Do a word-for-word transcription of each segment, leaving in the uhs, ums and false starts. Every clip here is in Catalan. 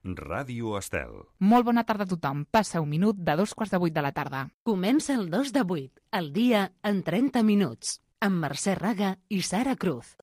Ràdio Estel. Molt bona tarda a tothom. Passa un minut de dos quarts de vuit de la tarda. Comença el dos de vuit, el dia en trenta minuts, amb Mercè Raga i Sara Cruz.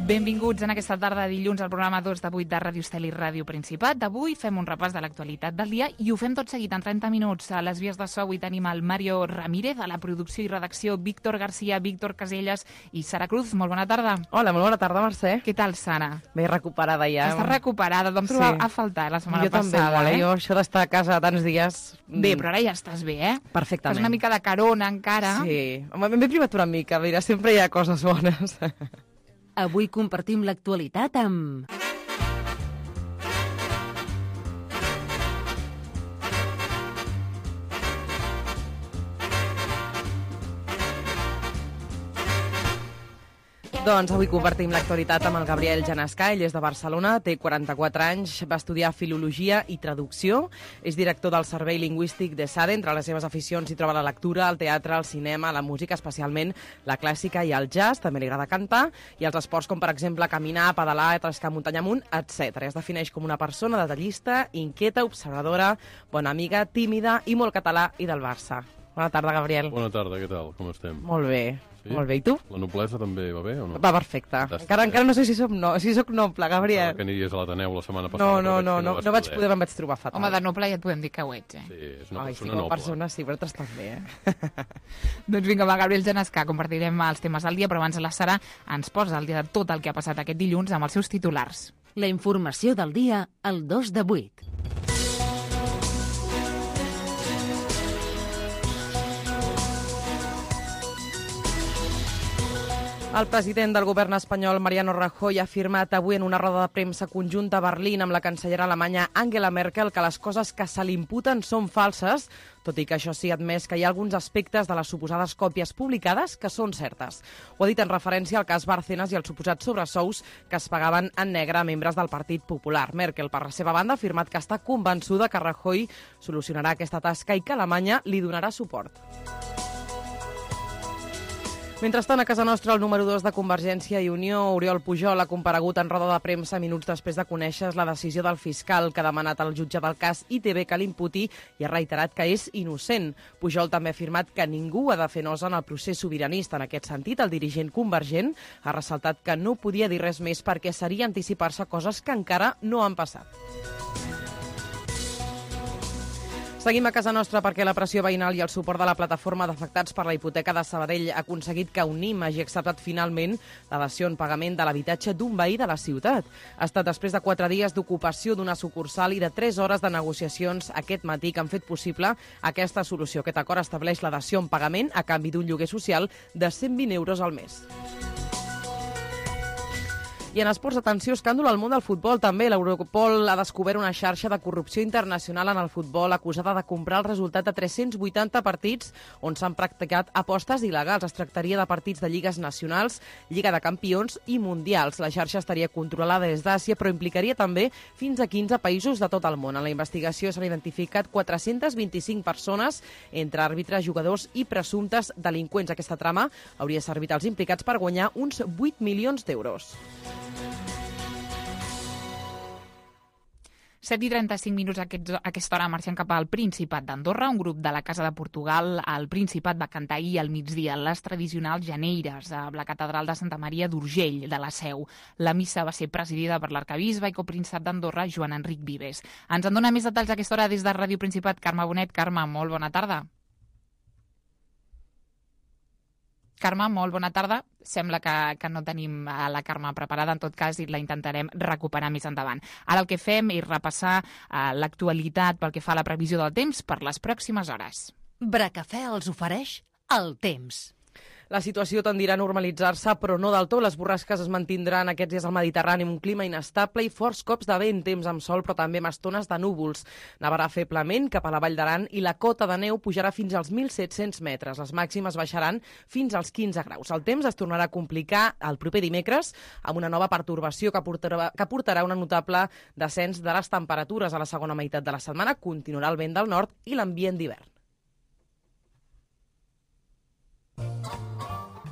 Benvinguts en aquesta tarda de dilluns al programa dos de vuit de Ràdio Estel i Ràdio Principat. D'avui fem un repàs de l'actualitat del dia i ho fem tot seguit en trenta minuts. A les vies de so avui tenim el Mario Ramírez, a la producció i redacció Víctor Garcia, Víctor Caselles i Sara Cruz. Molt bona tarda. Hola, molt bona tarda, Mercè. Què tal, Sara? Ben recuperada ja. Estàs recuperada, vam trobar Sí. a faltar la setmana jo també, passada. molt, eh? Jo això d'estar a casa tants dies... Bé, però ara ja estàs bé, eh? Perfectament. Fas una mica de carona encara. Sí, m'he privat una mica, mira, sempre hi ha coses bones. Avui compartim l'actualitat amb... Doncs avui compartim l'actualitat amb el Gabriel Janescà. Ell és de Barcelona, té quaranta-quatre anys, va estudiar Filologia i Traducció, és director del Servei Lingüístic de SADE. Entre les seves aficions hi troba la lectura, el teatre, el cinema, la música, especialment la clàssica i el jazz, també li agrada cantar, i els esports com, per exemple, caminar, pedalar, trescar muntanya amunt, etcètera. Es defineix com una persona detallista, inquieta, observadora, bona amiga, tímida i molt català i del Barça. Bona tarda, Gabriel. Bona tarda, què tal? Com estem? Molt bé. Sí? Molt bé, i tu? La noblesa també va bé o no? Va perfecte. Fantàstic, Encara, eh? encara no sé si soc, no, si soc noble, Gabriel. Que aniries a l'Ateneu la setmana passada. No, no, però no, veig que no, vas no vaig poder, em vaig trobar fatal. Home, de noble ja et podem dir que ho ets, eh? Sí, és una Ai, sí, persona com a noble. persona sí, però altres també, eh? Doncs vinga, va, Gabriel Janescà, compartirem els temes del dia, però abans la Sara ens posa al dia de tot el que ha passat aquest dilluns amb els seus titulars. La informació del dia al dos de vuit. El president del govern espanyol, Mariano Rajoy, ha afirmat avui en una roda de premsa conjunta a Berlín amb la cancellera alemanya Angela Merkel que les coses que se li imputen són falses, tot i que això sí ha admès que hi ha alguns aspectes de les suposades còpies publicades que són certes. Ho ha dit en referència al cas Bárcenas i als suposats sobresous que es pagaven en negre a membres del Partit Popular. Merkel, per la seva banda, ha afirmat que està convençuda que Rajoy solucionarà aquesta tasca i que Alemanya li donarà suport. Mentrestant, a casa nostra, el número dos de Convergència i Unió, Oriol Pujol, ha comparegut en roda de premsa minuts després de conèixer la decisió del fiscal que ha demanat al jutge del cas I T V que l'imputi i ha reiterat que és innocent. Pujol també ha afirmat que ningú ha de fer nosa en el procés sobiranista. En aquest sentit, el dirigent convergent ha ressaltat que no podia dir res més perquè seria anticipar-se coses que encara no han passat. Seguim a casa nostra perquè la pressió veïnal i el suport de la plataforma d'afectats per la hipoteca de Sabadell ha aconseguit que Unim hagi acceptat finalment la dació en pagament de l'habitatge d'un veí de la ciutat. Ha estat després de quatre dies d'ocupació d'una sucursal i de tres hores de negociacions aquest matí que han fet possible aquesta solució. Aquest acord estableix la dació en pagament a canvi d'un lloguer social de cent vint euros al mes. I en esports, atenció, escàndol al món del futbol també. L'Europol ha descobert una xarxa de corrupció internacional en el futbol acusada de comprar el resultat de tres-cents vuitanta partits on s'han practicat apostes il·legals. Es tractaria de partits de lligues nacionals, Lliga de Campions i Mundials. La xarxa estaria controlada des d'Àsia, però implicaria també fins a quinze països de tot el món. En la investigació s'han identificat quatre-cents vint-i-cinc persones, entre àrbitres, jugadors i presumptes delinqüents. Aquesta trama hauria servit als implicats per guanyar uns vuit milions d'euros. set i trenta-cinc minuts a aquesta hora marxant cap al Principat d'Andorra. Un grup de la Casa de Portugal al Principat va cantar ahir al migdia les tradicionals Janeires a la catedral de Santa Maria d'Urgell, de la Seu. La missa va ser presidida per l'arcabisbe i copríncep d'Andorra, Joan Enric Vives. Ens en dona més detalls a aquesta hora des de Ràdio Principat, Carme Bonet. Carme, molt bona tarda. Carme, molt bona tarda. Sembla que, que no tenim la Carme preparada, en tot cas, i la intentarem recuperar més endavant. Ara el que fem és repassar eh, l'actualitat pel que fa a la previsió del temps per les pròximes hores. Bracafè els ofereix el temps. La situació tendirà a normalitzar-se, però no del tot. Les borrasques es mantindran aquests dies al Mediterrani amb un clima inestable i forts cops de vent, temps amb sol, però també amb estones de núvols. Nevarà feblement cap a la Vall d'Aran i la cota de neu pujarà fins als mil set-cents metres. Les màximes baixaran fins als quinze graus. El temps es tornarà a complicar el proper dimecres amb una nova pertorbació que portarà, que portarà un notable descens de les temperatures. A la segona meitat de la setmana continuarà el vent del nord i l'ambient d'hivern.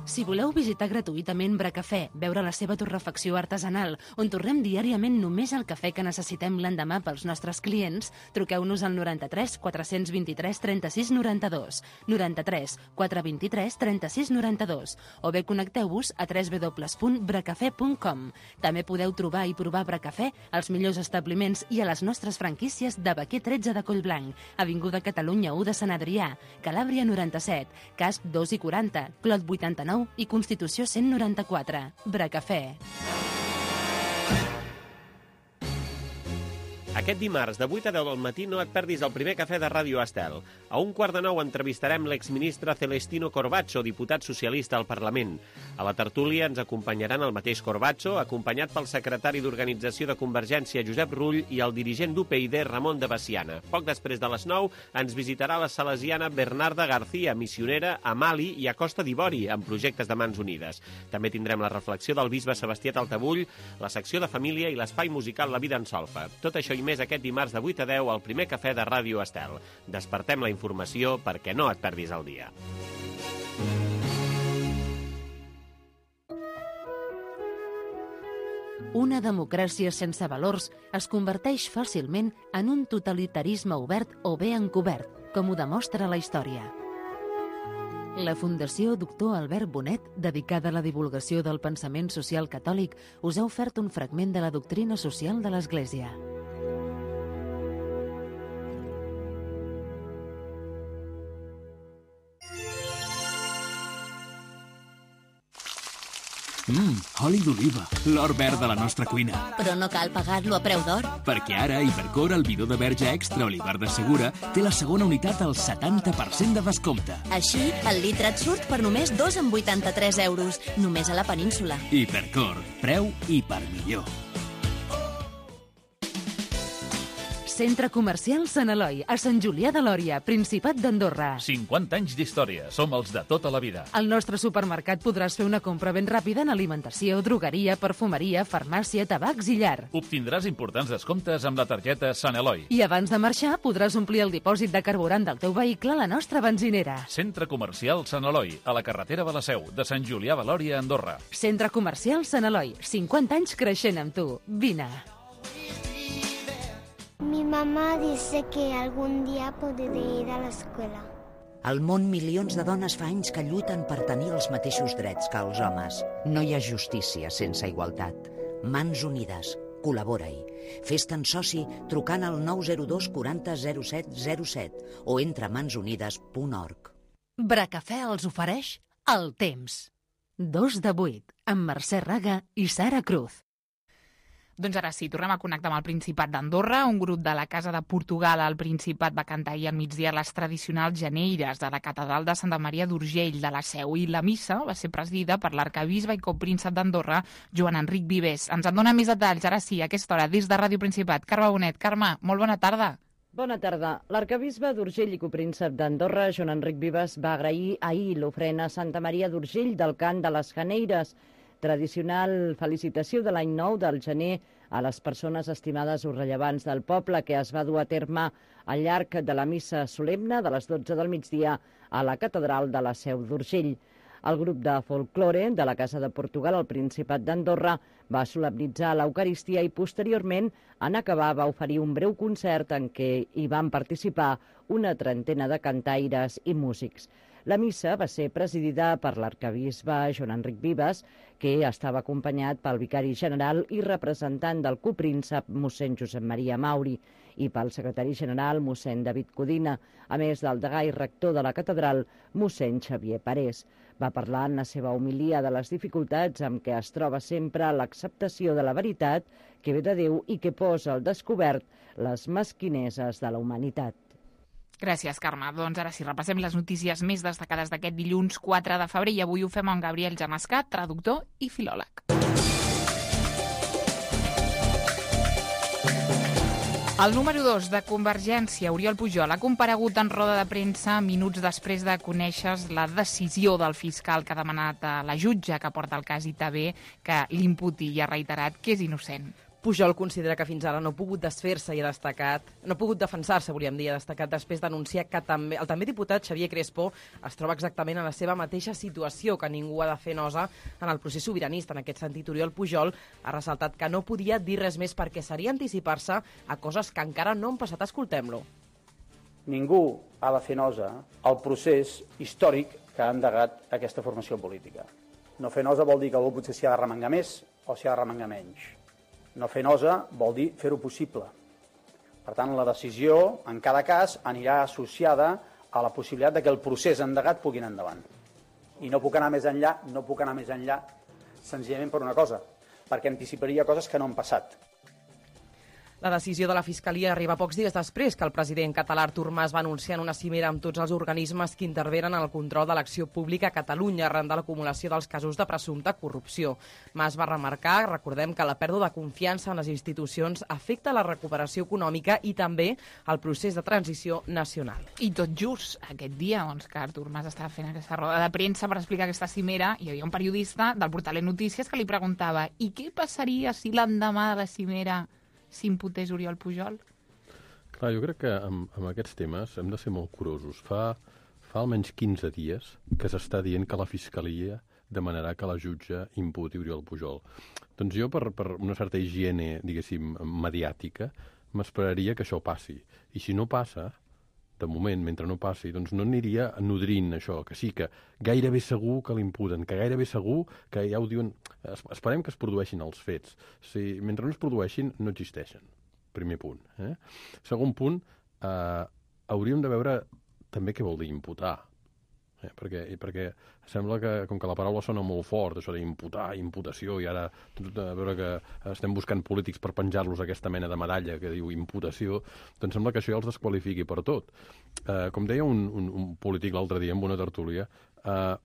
Si voleu visitar gratuïtament Bracafè, veure la seva torrefacció artesanal, on torrem diàriament només el cafè que necessitem l'endemà pels nostres clients, truqueu-nos al noranta-tres quatre-cents vint-i-tres trenta-sis noranta-dos, noranta-tres quatre vint-i-tres trenta-sis noranta-dos, o bé connecteu-vos a w w w punt bracafè punt com. També podeu trobar i provar Bracafè als millors establiments i a les nostres franquícies de Baquer tretze de Collblanc, Avinguda Catalunya u de Sant Adrià, Calàbria noranta-set, Casp dos i quaranta, Clot vuitanta-nou i Constitució cent noranta-quatre. Bracafè. Aquest dimarts, de vuit a deu del matí, no et perdis el primer cafè de Ràdio Estel. A un quart de nou entrevistarem l'exministre Celestino Corbacho, diputat socialista al Parlament. A la tertúlia ens acompanyaran el mateix Corbacho, acompanyat pel secretari d'Organització de Convergència, Josep Rull, i el dirigent d'U P Y D, Ramon de Baciana. Poc després de les nou ens visitarà la salesiana Bernarda García, missionera a Mali i a Costa d'Ivori, amb projectes de Mans Unides. També tindrem la reflexió del bisbe Sebastià Taltabull, la secció de família i l'espai musical La Vida en Solfa. Tot això i més aquest dimarts de vuit a deu al primer cafè de Ràdio Estel. Despertem la informació perquè no et perdis el dia. Una democràcia sense valors es converteix fàcilment en un totalitarisme obert o bé encobert, com ho demostra la història. La Fundació Doctor Albert Bonet, dedicada a la divulgació del pensament social catòlic, us ha ofert un fragment de la doctrina social de l'Església. Mmm, oli d'oliva, l'or verd de la nostra cuina. Però no cal pagar-lo a preu d'or. Perquè ara Hipercor, el bidó de verge extra Olivar de Segura, té la segona unitat al setanta per cent de descompte. Així, el litre et surt per només dos coma vuitanta-tres euros, només a la península. Hipercor, preu i per millor. Centre Comercial Sant Eloi, a Sant Julià de Lòria, Principat d'Andorra. cinquanta anys d'història. Som els de tota la vida. Al nostre supermercat podràs fer una compra ben ràpida en alimentació, drogueria, perfumeria, farmàcia, tabacs i llar. Obtindràs importants descomptes amb la targeta Sant Eloi. I abans de marxar podràs omplir el dipòsit de carburant del teu vehicle a la nostra benzinera. Centre Comercial Sant Eloi, a la carretera de la Seu, de Sant Julià de Lòria, Andorra. Centre Comercial Sant Eloi, cinquanta anys creixent amb tu. Vine. Mi mamá dice que algún día podré ir a la escuela. Al món, milions de dones fa anys que lluiten per tenir els mateixos drets que els homes. No hi ha justícia sense igualtat. Mans Unides. Col·labora-hi. Fes-te'n soci trucant al nou zero dos quaranta zero set zero set o entra a mans unides punt org. Bracafè els ofereix el temps. Dos de vuit, amb Mercè Raga i Sara Cruz. Doncs ara sí, tornem a connectar amb el Principat d'Andorra. Un grup de la Casa de Portugal al Principat va cantar ahir al migdia les tradicionals geneires de la catedral de Santa Maria d'Urgell de la Seu, i la missa va ser presidida per l'arcabisbe i copríncep d'Andorra, Joan Enric Vives. Ens en dona més detalls, ara sí, a aquesta hora, des de Ràdio Principat. Carme Bonet. Carme, molt bona tarda. Bona tarda. L'arcabisbe d'Urgell i copríncep d'Andorra, Joan Enric Vives, va agrair ahir l'ofrena a Santa Maria d'Urgell del cant de les geneires, tradicional felicitació de l'any nou del gener a les persones estimades o rellevants del poble, que es va dur a terme al llarg de la missa solemne de les dotze del migdia a la catedral de la Seu d'Urgell. El grup de folklore de la Casa de Portugal al Principat d'Andorra va solemnitzar l'Eucaristia i posteriorment, en acabar, va oferir un breu concert en què hi van participar una trentena de cantaires i músics. La missa va ser presidida per l'arcabisbe Joan Enric Vives, que estava acompanyat pel vicari general i representant del copríncep mossèn Josep Maria Mauri i pel secretari general mossèn David Codina, a més del degà i rector de la catedral, mossèn Xavier Parés. Va parlar en la seva homilia de les dificultats amb què es troba sempre l'acceptació de la veritat que ve de Déu i que posa al descobert les mesquineses de la humanitat. Gràcies, Carme. Doncs ara sí, repassem les notícies més destacades d'aquest dilluns quatre de febrer i avui ho fem amb Gabriel Jamascat, traductor i filòleg. El número dos de Convergència, Oriol Pujol, ha comparegut en roda de premsa minuts després de conèixer la decisió del fiscal que ha demanat a la jutge que porta el cas I T B que l'imputi i ha reiterat que és innocent. Pujol considera que fins ara no ha pogut desfer-se i ha destacat, no ha pogut defensar-se, volíem dir, ha destacat després d'anunciar que també, el també diputat Xavier Crespo es troba exactament en la seva mateixa situació, que ningú ha de fer nosa en el procés sobiranista. En aquest sentit, Oriol Pujol ha ressaltat que no podia dir res més perquè seria anticipar-se a coses que encara no han passat. Escoltem-lo. Ningú ha de fer nosa al procés històric que ha endegat aquesta formació política. No fer nosa vol dir que algú potser s'hi ha de remengar més o s'hi ha de remengar menys. No fer nosa vol dir fer-ho possible. Per tant, la decisió, en cada cas, anirà associada a la possibilitat de que el procés endegat pugui anar endavant. I no puc anar més enllà, no puc anar més enllà, senzillament per una cosa, perquè anticiparia coses que no han passat. La decisió de la Fiscalia arriba pocs dies després que el president català Artur Mas va anunciar en una cimera amb tots els organismes que intervenen en el control de l'acció pública a Catalunya arran de l'acumulació dels casos de presumpta corrupció. Mas va remarcar, recordem, que la pèrdua de confiança en les institucions afecta la recuperació econòmica i també el procés de transició nacional. I tot just aquest dia, doncs, que Artur Mas estava fent aquesta roda de premsa per explicar aquesta cimera, hi havia un periodista del portal Notícies que li preguntava i què passaria si l'endemà de la cimera s'imputés Oriol Pujol? Clar, jo crec que amb, amb aquests temes hem de ser molt curosos. Fa, fa almenys quinze dies que s'està dient que la Fiscalia demanarà que la jutge imputi Oriol Pujol. Doncs jo, per, per una certa higiene, diguéssim, mediàtica, m'esperaria que això passi. I si no passa, de moment, mentre no passi, doncs no aniria nodrint això, que sí, que gairebé segur que l'imputen, que gairebé segur que ja ho diuen... Esperem que es produeixin els fets. Si, mentre no es produeixin, no existeixen. Primer punt. Eh? Segon punt, eh, hauríem de veure també què vol dir imputar. Eh? Perquè, perquè sembla que, com que la paraula sona molt fort, això d'imputar, imputació, i ara a veure que estem buscant polítics per penjar-los aquesta mena de medalla que diu imputació, doncs sembla que això ja els desqualifiqui per tot. Eh, com deia un, un, un polític l'altre dia en una tertúlia, eh,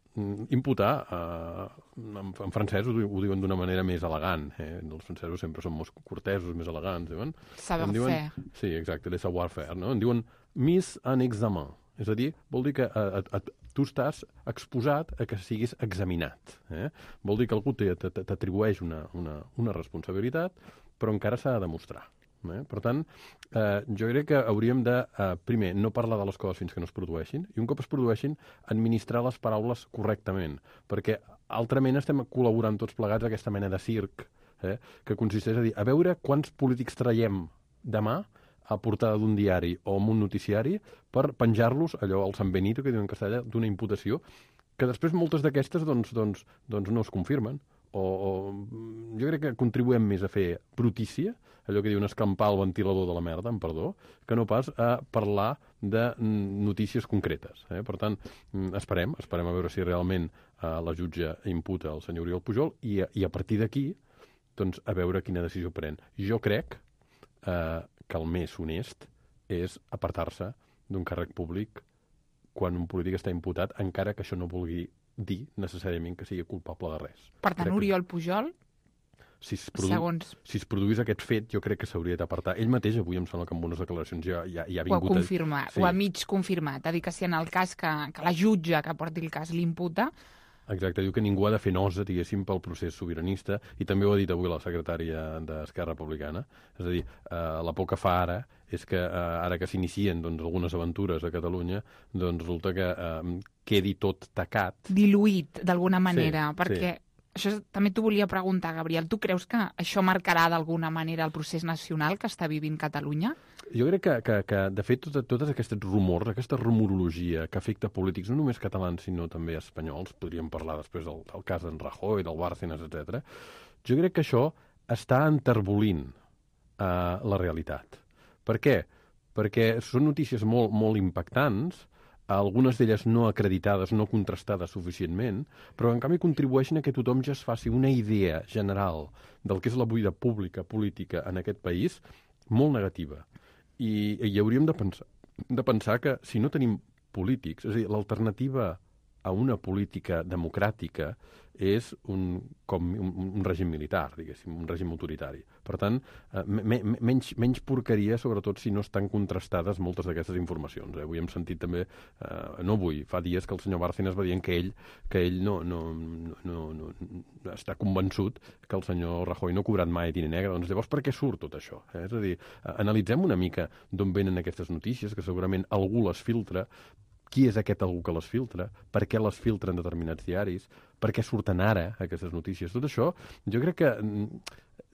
imputar, eh, en, en francès ho, ho diuen d'una manera més elegant. Eh? Els francesos sempre són molt cortesos, més elegants. Diuen, savoir-faire. Sí, exacte, le savoir-faire. No? En diuen mise en examen. És a dir, vol dir que a, a, a, tu estàs exposat a que siguis examinat. Eh? Vol dir que algú t'atribueix una, una, una responsabilitat, però encara s'ha de demostrar. Eh? Per tant, eh, jo crec que hauríem de, eh, primer, no parlar de les coses fins que no es produeixin, i un cop es produeixin, administrar les paraules correctament, perquè altrament estem col·laborant tots plegats a aquesta mena de circ, eh? que consisteix a dir, a veure quants polítics traiem demà a portada d'un diari o en un noticiari per penjar-los, allò, al San Benito, que diuen en castellà, d'una imputació, que després moltes d'aquestes doncs, doncs, doncs no es confirmen. O, o jo crec que contribuem més a fer brutícia, allò que diuen escampar el ventilador de la merda, amb perdó, que no pas a parlar de notícies concretes. Eh? Per tant, esperem, esperem a veure si realment eh, la jutge imputa el senyor Oriol Pujol i, i a partir d'aquí, doncs, a veure quina decisió pren. Jo crec eh, que el més honest és apartar-se d'un càrrec públic quan un polític està imputat, encara que això no vulgui dir necessàriament que sigui culpable de res. Per tant, crec Oriol Pujol, si es, produ... segons... si es produís aquest fet, jo crec que s'hauria d'apartar. Ell mateix, avui em sembla que amb unes declaracions ja, ja, ja ha vingut... Ho ha confirmat, a... sí. Ho ha mig confirmat. Ha dit que si en el cas que, que la jutge que porti el cas l'imputa... Exacte, diu que ningú ha de fer nosa, diguéssim, pel procés sobiranista, i també ho ha dit avui la secretària d'Esquerra Republicana. És a dir, eh, la por que fa ara és que eh, ara que s'inicien doncs, algunes aventures a Catalunya, doncs resulta que eh, quedi tot tacat. Diluït, d'alguna manera, sí, perquè... Sí. Això també t'ho volia preguntar, Gabriel. Tu creus que això marcarà d'alguna manera el procés nacional que està vivint Catalunya? Jo crec que, que, que de fet, tot, totes aquests rumors, aquesta rumorologia que afecta polítics, no només catalans, sinó també espanyols, podríem parlar després del, del cas d'en Rajoy, del Bárcenas, etcètera. Jo crec que això està enterbolint eh, la realitat. Per què? Perquè són notícies molt, molt impactants, algunes d'elles no acreditades, no contrastades suficientment, però en canvi contribueixen a que tothom ja es faci una idea general del que és la vida pública, política en aquest país, molt negativa. I, i hauríem de pensar, hem de pensar que si no tenim polítics, és a dir, l'alternativa a una política democràtica és un, com un, un règim militar, diguéssim, un règim autoritari. Per tant, eh, me, me, menys, menys porqueria, sobretot si no estan contrastades moltes d'aquestes informacions. Eh? Avui hem sentit també, eh, no avui, fa dies que el senyor Bárcenas va dient que ell, que ell no, no, no, no, no està convençut que el senyor Rajoy no ha cobrat mai diner negre. Doncs llavors per què surt tot això? Eh? És a dir, eh, analitzem una mica d'on venen aquestes notícies, que segurament algú les filtra. Qui és aquest algú que les filtra? Per què les filtren determinats diaris? Per què surten ara aquestes notícies? Tot això jo crec que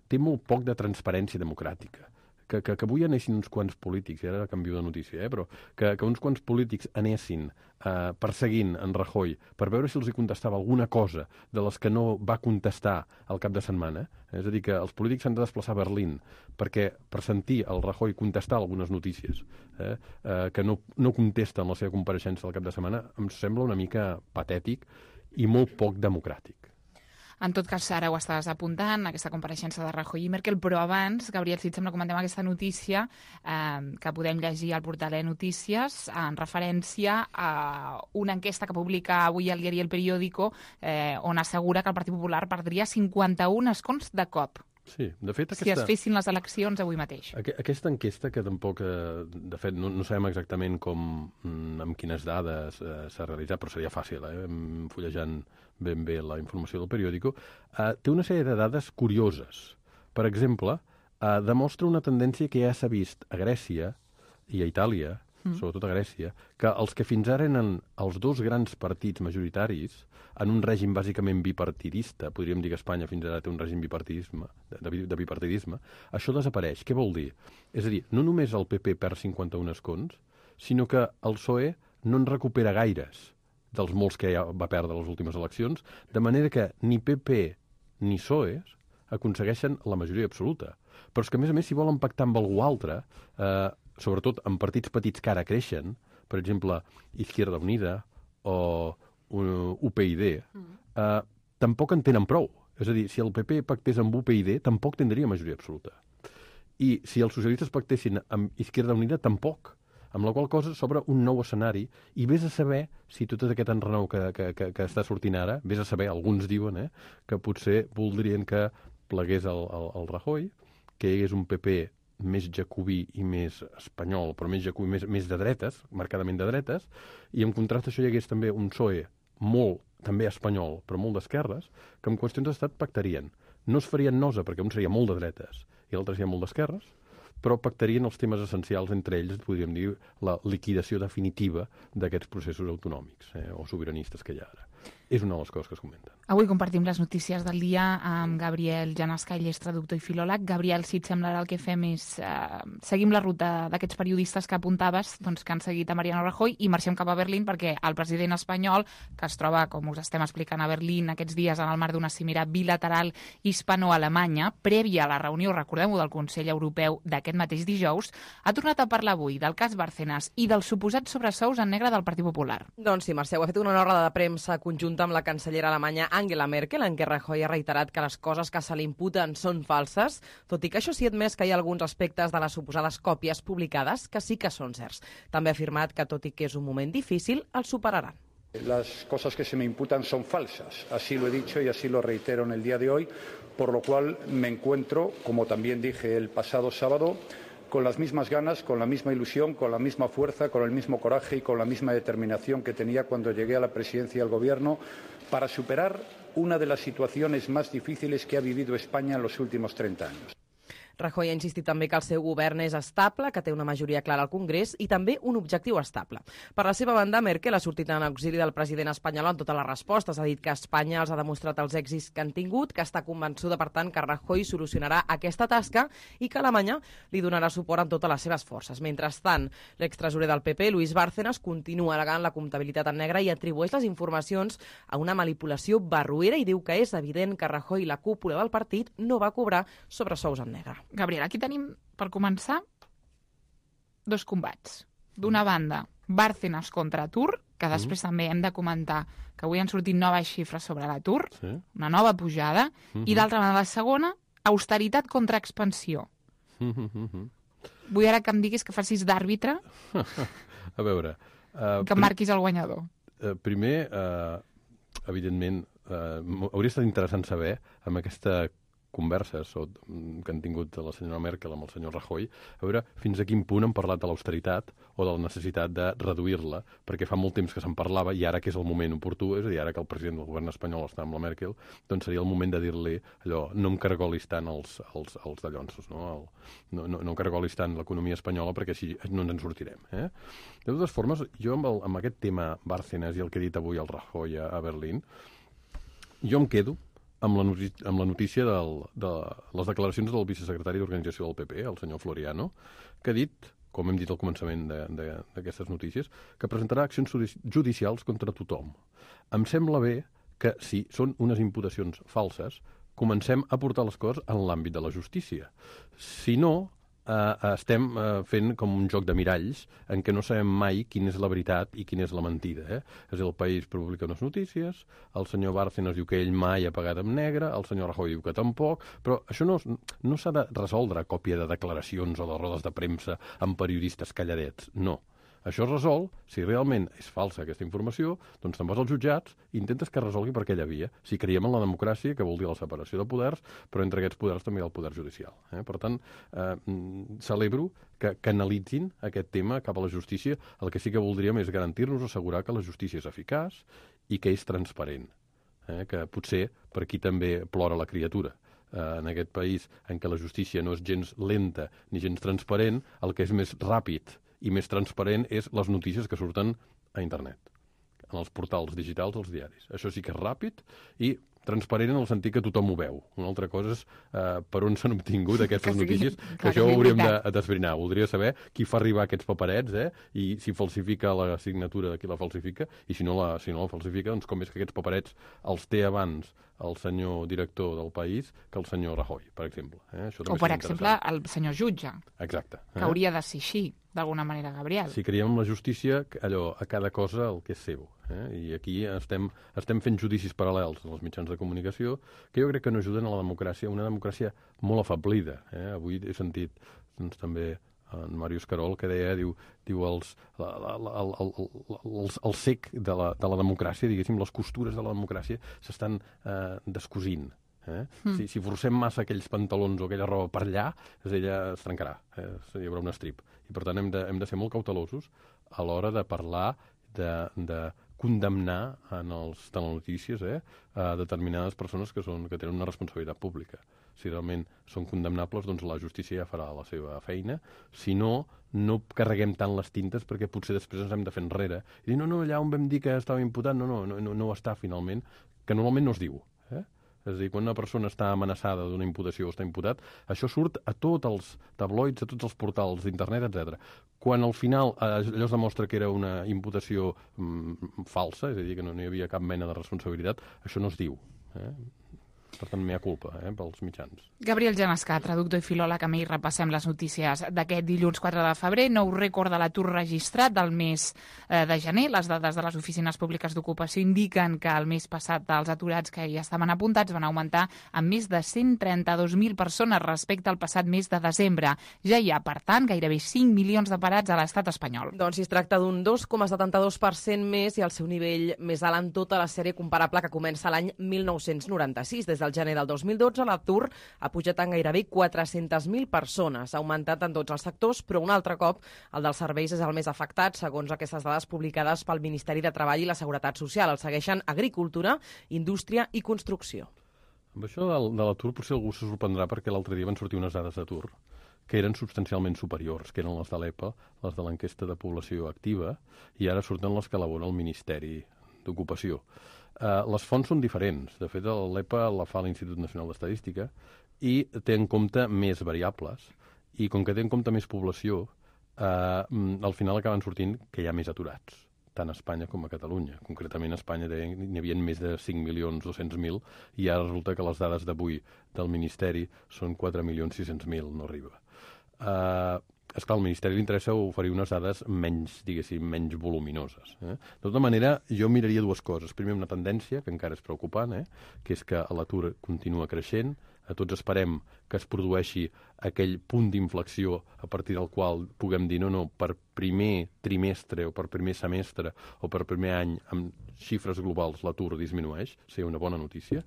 té molt poc de transparència democràtica. Que, que, que avui anessin uns quants polítics, i ara canvio de notícia, eh, però que, que uns quants polítics anessin eh, perseguint en Rajoy per veure si els hi contestava alguna cosa de les que no va contestar al cap de setmana. Eh? És a dir, que els polítics s'han de desplaçar a Berlín perquè, per sentir el Rajoy contestar algunes notícies eh, eh, que no, no contesten la seva compareixença al cap de setmana, em sembla una mica patètic i molt poc democràtic. En tot cas, ara ho estàs apuntant, aquesta compareixença de Rajoy i Merkel, però abans, Gabriel, si et sembla, comentem aquesta notícia eh, que podem llegir al portal de Notícies en referència a una enquesta que publica avui el diari El Periódico eh, on assegura que el Partit Popular perdria cinquanta-un escons de cop. Sí, de fet, aquesta... Si es fessin les eleccions avui mateix. Aquesta enquesta, que tampoc, de fet, no, no sabem exactament com, amb quines dades eh, s'ha realitzat, però seria fàcil, eh, fullejant ben bé la informació del periòdico, eh, té una sèrie de dades curioses. Per exemple, eh, demostra una tendència que ja s'ha vist a Grècia i a Itàlia, mm. sobretot a Grècia, que els que fins ara eren els dos grans partits majoritaris, en un règim bàsicament bipartidista, podríem dir que Espanya fins ara té un règim bipartidisme, de, de bipartidisme, això desapareix. Què vol dir? És a dir, no només el P P perd cinquanta-un escons, sinó que el P S O E no en recupera gaires dels molts que ja va perdre les últimes eleccions, de manera que ni P P ni P S O E aconsegueixen la majoria absoluta. Però és que, a més a més, si volen pactar amb algú altre, eh, sobretot amb partits petits que ara creixen, per exemple, Izquierda Unida o U P y D, eh, tampoc en tenen prou. És a dir, si el P P pactés amb U P y D, tampoc tindria majoria absoluta. I si els socialistes pactessin amb Izquierda Unida, tampoc. Amb la qual cosa s'obre un nou escenari i vés a saber si tot aquest enrenou que, que, que, que està sortint ara, vés a saber, alguns diuen, eh, que potser voldrien que plegués el, el, el Rajoy, que hi hagués un P P més jacobí i més espanyol, però més jacobí, més, més de dretes, marcadament de dretes, i en contrast això hi hagués també un P S O E molt, també espanyol, però molt d'esquerres, que en qüestions d'estat pactarien. No es farien nosa, perquè un seria molt de dretes i l'altre seria molt d'esquerres, però pactarien els temes essencials, entre ells, podríem dir, la liquidació definitiva d'aquests processos autonòmics eh, o sobiranistes que hi ha ara. És una de les coses que es comenten. Avui compartim les notícies del dia amb Gabriel Janasca, ell és traductor i filòleg. Gabriel, si et sembla, ara el que fem és eh, seguim la ruta d'aquests periodistes que apuntaves, doncs, que han seguit a Mariano Rajoy, i marxem cap a Berlín perquè el president espanyol, que es troba, com us estem explicant, a Berlín aquests dies en el marc d'una cimera bilateral hispano-alemanya, prèvia a la reunió, recordem-ho, del Consell Europeu d'aquest mateix dijous, ha tornat a parlar avui del cas Bárcenas i dels suposats sobresous en negre del Partit Popular. Doncs sí, Mercè, ho ha fet una roda de premsa conjunta amb la cancellera alemanya Angela Merkel, en què Rajoy ha reiterat que les coses que se li imputen són falses, tot i que això sí ha admès que hi ha alguns aspectes de les suposades còpies publicades que sí que són certs. També ha afirmat que, tot i que és un moment difícil, el superaran. Las cosas que se me imputan son falsas, así lo he dicho y así lo reitero en el día de hoy, por lo cual me encuentro, como también dije el pasado sábado, con las mismas ganas, con la misma ilusión, con la misma fuerza, con el mismo coraje y con la misma determinación que tenía cuando llegué a la presidencia del Gobierno para superar una de las situaciones más difíciles que ha vivido España en los últimos treinta años. Rajoy ha insistit també que el seu govern és estable, que té una majoria clara al Congrés i també un objectiu estable. Per la seva banda, Merkel ha sortit en auxili del president espanyol en totes les respostes. Ha dit que Espanya els ha demostrat els èxits que han tingut, que està convençuda, per tant, que Rajoy solucionarà aquesta tasca i que Alemanya li donarà suport en totes les seves forces. Mentrestant, l'extresorer del P P, Luis Bárcenas, continua alegant la comptabilitat en negre i atribueix les informacions a una manipulació barroera i diu que és evident que Rajoy i la cúpula del partit no va cobrar sobresous en negre. Gabriel, aquí tenim, per començar, dos combats. D'una banda, Bárcenas contra atur, que després mm. també hem de comentar que avui han sortit noves xifres sobre l'atur, sí. una nova pujada, mm-hmm. i d'altra banda, la segona, austeritat contra expansió. Mm-hmm. Vull ara que em diguis que facis d'àrbitre. A veure... Uh, que marquis el guanyador. Uh, primer, uh, evidentment, uh, hauria estat interessant saber, amb aquesta converses o, que han tingut la senyora Merkel amb el senyor Rajoy, a veure fins a quin punt han parlat de l'austeritat o de la necessitat de reduir-la, perquè fa molt temps que se'n parlava i ara que és el moment oportú, és a dir, ara que el president del govern espanyol està amb la Merkel, doncs seria el moment de dir-li allò, no em cargolis tant els, els, els dallonsos, no? El, no, no, no em cargolis tant l'economia espanyola perquè així no ens en sortirem. Eh? De totes formes, jo amb, el, amb aquest tema Bárcenas i el que ha dit avui el Rajoy a, a Berlín, jo em quedo amb la notícia, amb la notícia del, de les declaracions del vicesecretari d'Organització del P P, el senyor Floriano, que ha dit, com hem dit al començament d'aquestes notícies, que presentarà accions judicials contra tothom. Em sembla bé que, si són unes imputacions falses, comencem a portar les coses en l'àmbit de la justícia. Si no, Uh, estem uh, fent com un joc de miralls en què no sabem mai quina és la veritat i quina és la mentida. Eh? És a dir, el País publica unes notícies, el senyor Bárcenas diu que ell mai ha pagat amb negre, el senyor Rajoy diu que tampoc, però això no, no s'ha de resoldre a còpia de declaracions o de rodes de premsa amb periodistes calladets, no. Això es resol, si realment és falsa aquesta informació, doncs te'n vas als jutjats i intentes que resolgui per aquella via. Si creiem en la democràcia, que vol dir la separació de poders, però entre aquests poders també hi ha el poder judicial. Eh? Per tant, eh, celebro que canalitzin aquest tema cap a la justícia. El que sí que voldríem és garantir-nos, assegurar que la justícia és eficaç i que és transparent. Eh? Que potser per aquí també plora la criatura. En aquest país en què la justícia no és gens lenta ni gens transparent, el que és més ràpid i més transparent és les notícies que surten a internet, en els portals digitals dels diaris. Això sí que és ràpid i transparent en el sentit que tothom ho veu. Una altra cosa és eh, per on s'han obtingut aquestes sí, notícies, que, que això ho hauríem d'esbrinar. Voldria saber qui fa arribar aquests paperets, eh, i si falsifica la signatura de qui la falsifica, i si no la, si no la falsifica, doncs com és que aquests paperets els té abans el senyor director del País que el senyor Rajoy, per exemple. Eh? Això o, per exemple, el senyor jutge. Exacte. Que eh? hauria de ser així, d'alguna manera, Gabriel. Si creiem en la justícia, allò, a cada cosa el que és seu. Eh? I aquí estem, estem fent judicis paral·lels als mitjans de comunicació que jo crec que no ajuden a la democràcia, una democràcia molt afablida. Eh? Avui he sentit doncs, també en Màrius Carol, que deia, diu, diu els, la, la, la, el, el, el, el sec de la, de la democràcia, diguéssim, les costures de la democràcia s'estan eh, descosint. Eh? Mm. Si, si forcem massa aquells pantalons o aquella roba per allà, ella es trencarà, eh? Hi haurà un estrip. I per tant hem de, hem de ser molt cautelosos a l'hora de parlar, de, de condemnar en els telenotícies eh, a determinades persones que, són, que tenen una responsabilitat pública. Si realment són condemnables, doncs la justícia ja farà la seva feina. Si no, no carreguem tant les tintes perquè potser després ens hem de fer enrere. I dir, no, no, allà on vam dir que estava imputat, no, no, no, no ho està finalment, que normalment no es diu. Eh? És a dir, quan una persona està amenaçada d'una imputació o està imputat, això surt a tots els tabloids, a tots els portals d'internet, etcètera. Quan al final allò es demostra que era una imputació mm, falsa, és a dir, que no, no hi havia cap mena de responsabilitat, això no es diu. Eh? Per tant, mea culpa, eh, pels mitjans. Gabriel Genescà, traductor i filòleg, amb ell repassem les notícies d'aquest dilluns quatre de febrer. Nou rècord de l'atur registrat del mes eh, de gener. Les dades de les oficines públiques d'ocupació indiquen que el mes passat els aturats que hi estaven apuntats van augmentar amb més de cent trenta-dos mil persones respecte al passat mes de desembre. Ja hi ha, per tant, gairebé cinc milions de parats a l'estat espanyol. Doncs si es tracta d'un dos coma setanta-dos per cent més i el seu nivell més alt en tota la sèrie comparable que comença l'any mil nou-cents noranta-sis. Des del gener del dos mil dotze, l'atur ha pujat en gairebé quatre-centes mil persones. Ha augmentat en tots els sectors, però un altre cop el dels serveis és el més afectat, segons aquestes dades publicades pel Ministeri de Treball i la Seguretat Social. El segueixen agricultura, indústria i construcció. Amb això de, de l'atur potser algú se sorprendrà perquè l'altre dia van sortir unes dades d'atur que eren substancialment superiors, que eren les de l'E P A, les de l'enquesta de població activa, i ara surten les que elabora el Ministeri d'Ocupació. Uh, les fonts són diferents. De fet, l'E P A la fa l'Institut Nacional d'Estadística i té en compte més variables. I com que té en compte més població, uh, al final acaben sortint que hi ha més aturats, tant a Espanya com a Catalunya. Concretament, a Espanya n'hi havia més de cinc milions dos-cents mil i ara resulta que les dades d'avui del Ministeri són quatre milions sis-cents mil, no arriba. Uh, esclar, al Ministeri li interessa oferir unes dades menys, diguéssim, menys voluminoses. Eh? De tota manera, jo miraria dues coses. Primer, una tendència, que encara és preocupant, eh? que és que l'atur continua creixent, tots esperem que es produeixi aquell punt d'inflexió a partir del qual puguem dir no, no, per primer trimestre o per primer semestre o per primer any amb xifres globals l'atur disminueix, seria una bona notícia,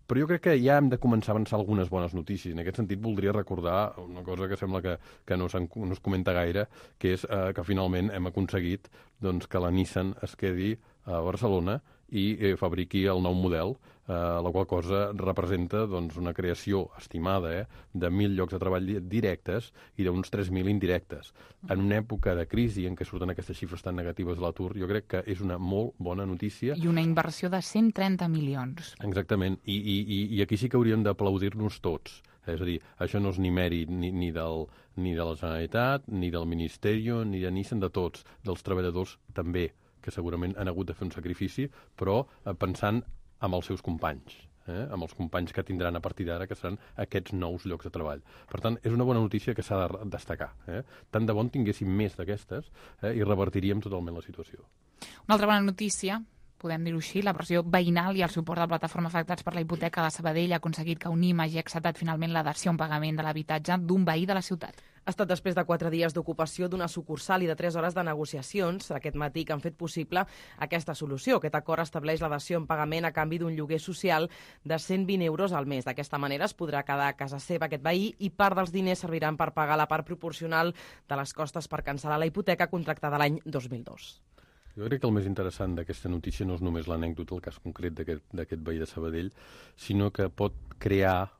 però jo crec que ja hem de començar a avançar algunes bones notícies. En aquest sentit voldria recordar una cosa que sembla que, que no, no es comenta gaire, que és eh, que finalment hem aconseguit doncs, que la Nissan es quedi a Barcelona i eh, fabriqui el nou model, eh, la qual cosa representa doncs, una creació estimada eh, de mil llocs de treball directes i d'uns tres mil indirectes. En una època de crisi en què surten aquestes xifres tan negatives de l'atur, jo crec que és una molt bona notícia. I una inversió de cent trenta milions. Exactament, i, i, i aquí sí que hauríem d'aplaudir-nos tots. És a dir, això no és ni mèrit ni, ni, del, ni de la Generalitat, ni del Ministeri, ni de Nissan, de tots, dels treballadors també, que segurament han hagut de fer un sacrifici, però eh, pensant amb els seus companys, eh? amb els companys que tindran a partir d'ara, que seran aquests nous llocs de treball. Per tant, és una bona notícia que s'ha de destacar. Eh? Tant de bon tinguéssim més d'aquestes eh? i revertiríem totalment la situació. Una altra bona notícia, podem dir-ho així, la pressió veïnal i el suport de la plataforma afectats per la hipoteca de Sabadell ha aconseguit que Unim hagi acceptat finalment la dació en pagament de l'habitatge d'un veí de la ciutat. Ha estat després de quatre dies d'ocupació d'una sucursal i de tres hores de negociacions aquest matí que han fet possible aquesta solució. Aquest acord estableix la dació en pagament a canvi d'un lloguer social de cent vint euros al mes. D'aquesta manera es podrà quedar a casa seva aquest veí i part dels diners serviran per pagar la part proporcional de les costes per cancel·lar la hipoteca contractada l'any dos mil dos. Jo crec que el més interessant d'aquesta notícia no és només l'anècdota, el cas concret d'aquest veí de Sabadell, sinó que pot crear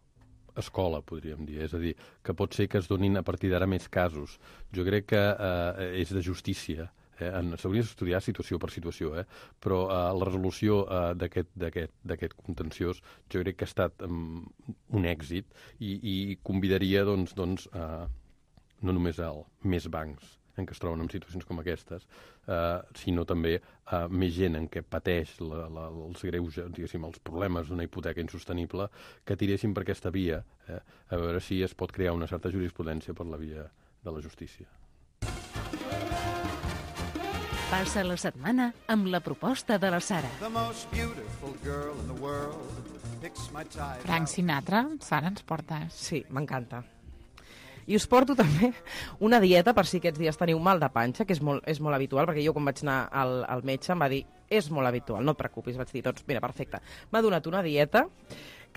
escola, podríem dir. És a dir, que pot ser que es donin a partir d'ara més casos. Jo crec que eh, és de justícia. Eh? S'hauria d'estudiar situació per situació, eh? però eh, la resolució eh, d'aquest contenciós jo crec que ha estat um, un èxit i, i convidaria doncs, doncs, eh, no només a més bancs en què es troben en situacions com aquestes, eh, sinó també eh, més gent en què pateix la, la, els greus, diguéssim, els problemes d'una hipoteca insostenible, que tiressin per aquesta via, eh, a veure si es pot crear una certa jurisprudència per la via de la justícia. Passa la setmana amb la proposta de la Sara. Frank Sinatra, Sara, ens portes? Sí, m'encanta. I us porto també una dieta per si aquests dies teniu mal de panxa, que és molt, és molt habitual, perquè jo quan vaig anar al, al metge em va dir és molt habitual, no et preocupis, vaig dir, doncs mira, perfecte. M'ha donat una dieta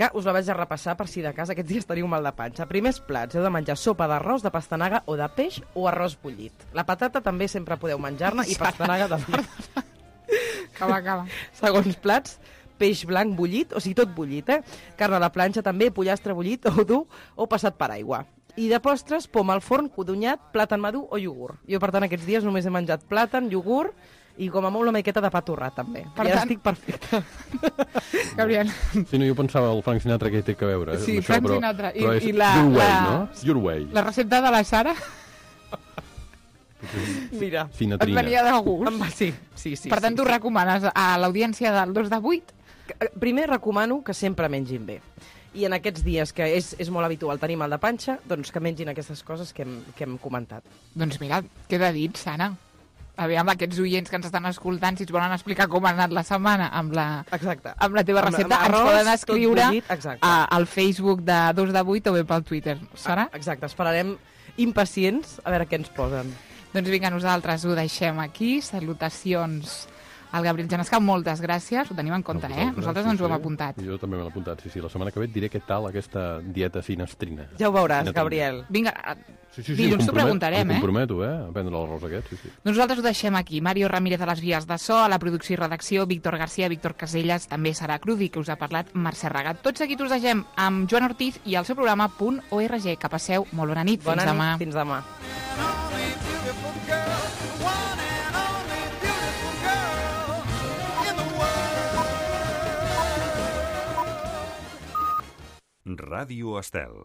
que us la vaig a repassar per si de casa aquests dies teniu mal de panxa. Primers plats, heu de menjar sopa d'arròs, de pastanaga o de peix o arròs bullit. La patata també sempre podeu menjar-ne i pastanaga també. Acaba, acaba. Segons plats, peix blanc bullit, o sigui, tot bullit, eh? Carn a la planxa també, pollastre bullit o dur o passat per aigua. I de postres, pom al forn, codonyat, plàtan madur o iogurt. Jo, per tant, aquests dies només he menjat plàtan, iogurt i com a molt una miqueta de pa torrat, també. Per I tant... estic perfecta. Gabriel. Sí, no, jo pensava el Frank Sinatra que hi té que veure. Sí, això, Frank però, Sinatra. I, però és i la, your way, la... no? Your way. La recepta de la Sara... Mira, Sinatrina. Et venia de gust. Va, sí, sí, sí. Per tant, sí, tu sí. recomanes a l'audiència del dos de vuit? Primer recomano que sempre mengin bé. I en aquests dies que és, és molt habitual tenir mal de panxa, doncs que mengin aquestes coses que hem, que hem comentat. Doncs mira, queda dit, Sara. Aviam, aquests oients que ens estan escoltant, si ens volen explicar com ha anat la setmana amb la, exacte. amb la teva recepta, amb, amb ens arròs, poden escriure bullit, a, al Facebook de dos de vuit o bé pel Twitter. Sara? Exacte, esperarem impacients a veure què ens posen. Doncs vinga, nosaltres ho deixem aquí. Salutacions al Gabriel Genescà, moltes gràcies, ho tenim en compte, no, eh? Nosaltres sí, ens ho hem sí. apuntat. Jo també m'he apuntat, sí, sí. La setmana que ve et diré què tal aquesta dieta sinastrina. Ja ho veuràs, Sinatrina. Gabriel. Vinga, sí, sí, sí, dilluns t'ho preguntarem, eh? eh? Em comprometo, eh? A prendre l'arròs aquest, sí, sí. Nosaltres ho deixem aquí. Mario Ramírez a les vies de so, a la producció i redacció, Víctor García, Víctor Caselles, també Sara Crudi, que us ha parlat Mercè Regat. Tots seguits us deixem amb Joan Ortiz i el seu programa .org. Que passeu molt bona nit. Bona Fins nit, demà. fins demà. Ràdio Estel.